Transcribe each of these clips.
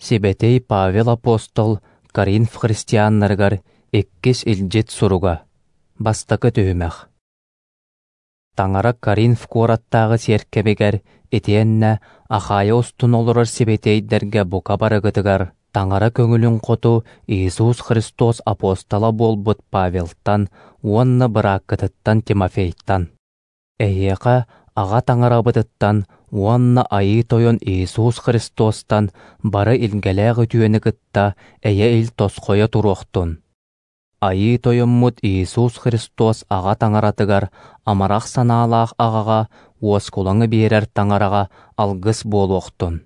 Сибэтиэй Павел апостол Коринф христианнарыгар иккис илдьит суруга. Бастакы түһүмэх. Таҥара Коринф куораттааҕы сиэркэбигэр итиэннэ Ахайя устун олорор сибэтиэйдэргэ бука барыгытыгар Таҥара көҥүлүн хоту Иисус Христос апостола буолбут Павелтан уонна бырааккытыттан Тимофейтан. Эһиэхэ Аҕа Таҥарабытыттан уонна Айыы Тойон Иисус Христостан бары илгэлээх үтүөнү кытта эйэ-ил тосхойо туруохтун. Айыы Тойоммут Иисус Христос Аҕа Таҥаратыгар, амарах санаалаах Аҕаҕа, уоскулаҥы биэрэр Таҥараҕа алгыс буолуохтун.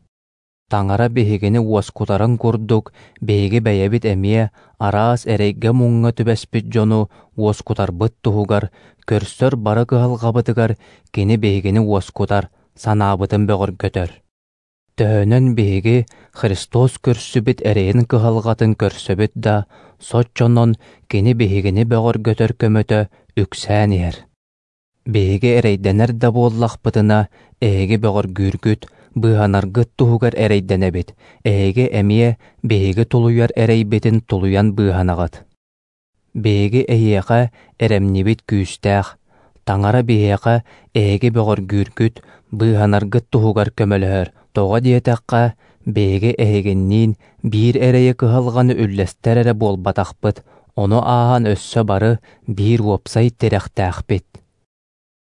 Таҥара биһигини уоскутарын курдук, биһиги бэйэбит эмиэ араас эрэйгэ-муҥҥа түбэспит дьону уоскутарбыт туһугар, көрсөр бары кыһалҕабытыгар Кини биһигини уоскутар, санаабытын бөҕөргөтөр. Төһөнөн биһиги Христос көрсүбүт эрэйин кыһалҕатын көрсөбүт да, соччонон Кини биһигини бөҕөргөтөр көмөтө үксээн иһэр. Биһиги эрэйдэнэр да буоллахпытына, эһиги бөҕөргүүргүт, быыһанаргыт туһугар эрэйдэнэбит, эһиги эмиэ биһиги тулуйар эрэйбитин тулуйан быыһанаҕыт. Биһиги эһиэхэ эрэмньибит күүстээх, Таҥара биһиэхэ эһиги бөҕөргүүргүт, быыһанаргыт туһугар көмөлөһөр, тоҕо диэтэххэ, биһиги эһигинниин биир эрэйи кыһалҕаны үллэстэр эрэ буолбатахпыт, ону ааһан өссө бары биир уопсай тирэхтээхпит.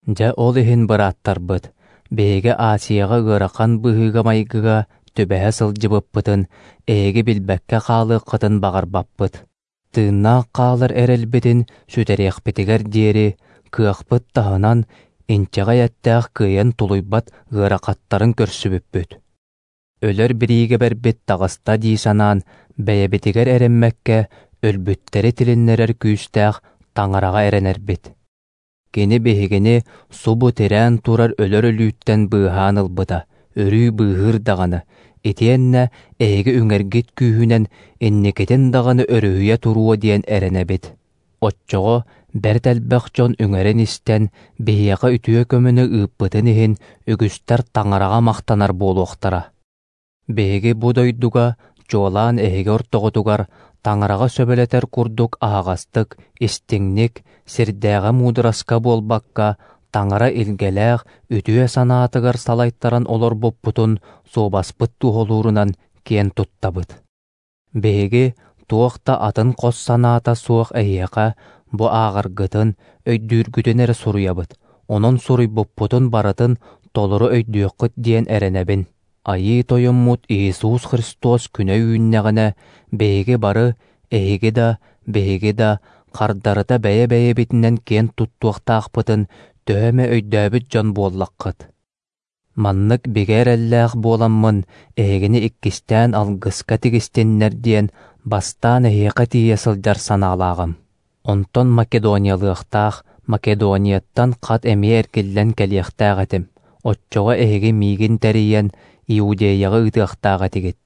Дьэ ол иһин бырааттарбыт, биһиги Асияҕа ыарахан быһыыга-майгыга түбэһэ сылдьыбыппытын эһиги билбэккэ хаалыаххытын баҕарбаппыт. Тыыннаах хаалар эрэлбитин сүтэриэхпитигэр диэри, кыахпыт таһынан, инчэҕэй эттээх кыайан тулуйбат ыарахаттарын көрсүбүппүт. Өлөр бириигэбэрбит таҕыста дии санаан, бэйэбитигэр эрэммэккэ, өлбүттэри тилиннэрэр күүстээх Таҥараҕа эрэнэрбит. Кини биһигини субу тирээн турар өлөр өлүүттэн быыһаан ылбыта, өрүү быыһыыр даҕаны, итиэннэ эһиги үҥэргит күүһүнэн инникитин даҕаны өрүһүйэ туруо диэн эрэнэбит. Оччоҕо бэрт элбэх дьон үҥэрин истэн, биһиэхэ үтүө көмөнү ыыппытын иһин үгүстэр Таҥараҕа махтанар буолуохтара. Биһиги бу дойдуга, чуолаан эһиги ортоҕутугар, Таҥараҕа сөбүлэтэр курдук аһаҕастык, истиҥник, сирдээҕи муудараска буолбакка, Таҥара илгэлээх, үтүө санаатыгар салайтаран олорбуппутун суобаспыт туоһулуурунан киэн туттабыт. Биһиги туох да атын хос санаата суох эһиэхэ бу ааҕаргытын, өйдүүргүтүн эрэ суруйабыт, онон суруйбуппутун барытын толору өйдүөххүт диэн эрэнэбин. Айыы Тойоммут Иисус Христос күнэ үүннэҕинэ, биһиги бары, эһиги да, биһиги да, хардарыта бэйэ-бэйэбитинэн киэн туттуохтаахпытын төһө эмэ өйдөөбүт дьон буоллаххыт. Маннык бигэ эрэллээх буоламмын, эһигини иккистээн алгыска тигистиннэр диэн бастаан эһиэхэ тиийэ сылдьар санаалааҕым. Онтон Македониялыахтаах, Македонияттан хат эмиэ эргиллэн кэлиэхтээх этим. Оччоҕо эһиги миигин тэрийэн Иудеяҕа ыытыахтаах этигит.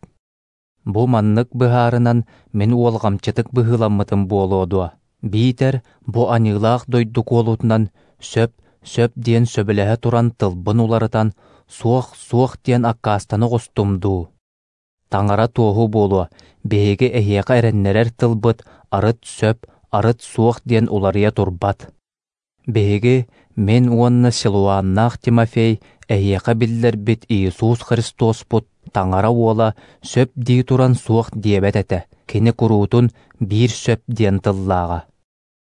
Бу маннык быһаарынан мин уолҕамчытык быһыыламмытым буолуо дуо? Биитэр бу аньыылаах дойду куолутунан сөп, сөп диэн сөбүлэһэ туран тылбын уларытан, суох, суох диэн аккаастана оҕустум дуу? Таҥара туоһу буолуо, биһиги эһиэхэ эрэннэрэр тылбыт арыт сөп, арыт суох диэн уларыйа турбат. Биһиги, мин уонна Силуаннаах Тимофей эһиэхэ биллэрбит Иисус Христоспут Таҥара Уола сөп дии туран суох диэбэт этэ, кини куруутун биир сөп диэн тыллааҕа.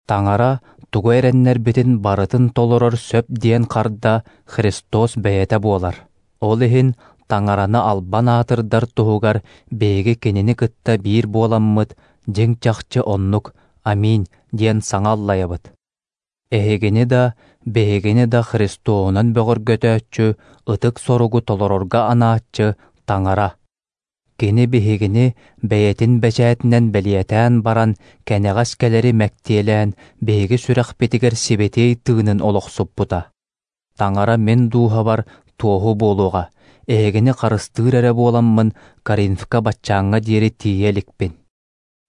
Таҥара тугу эрэннэрбитин барытын толорор сөп диэн харда Христос бэйэтэ буолар. Ол иһин Таҥараны албан аатырдар туһугар биһиги кинини кытта биир буоламмыт дьиҥ-чахчы оннук «Аминь» диэн саҥа аллайабыт. Эһигини да, биһигини да Христоһунан бөҕөргөтөөччү, ытык соругу толорорго анааччы Таҥара. Кини биһигини бэйэтин бэчээтинэн бэлиэтээн баран, кэнэҕэс кэлэри мэктиэлээн, биһиги сүрэхпитигэр сибэтиэй тыынын олохсуппута. Таҥара мин дууһабар туоһу буолуоҕа, эһигини харыстыыр эрэ буоламмын Коринфка баччааҥҥа диэри тиийэ иликпин.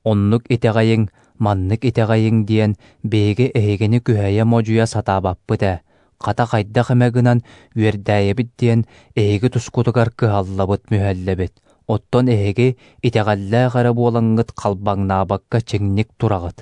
Оннук итэҕэйиҥ, маннык итэҕэйиҥ диэн биһиги эһигини күһэйэ-модьуйа сатаабаппыт ээ, хата хайдах эмэ гынан үөрдээйэбит диэн эһиги тускутугар кыһаллабыт-мүһэллэбит. Оттон эһиги итэҕэллээх эрэ буолаҥҥыт халбаҥнаабакка чиҥник тураҕыт.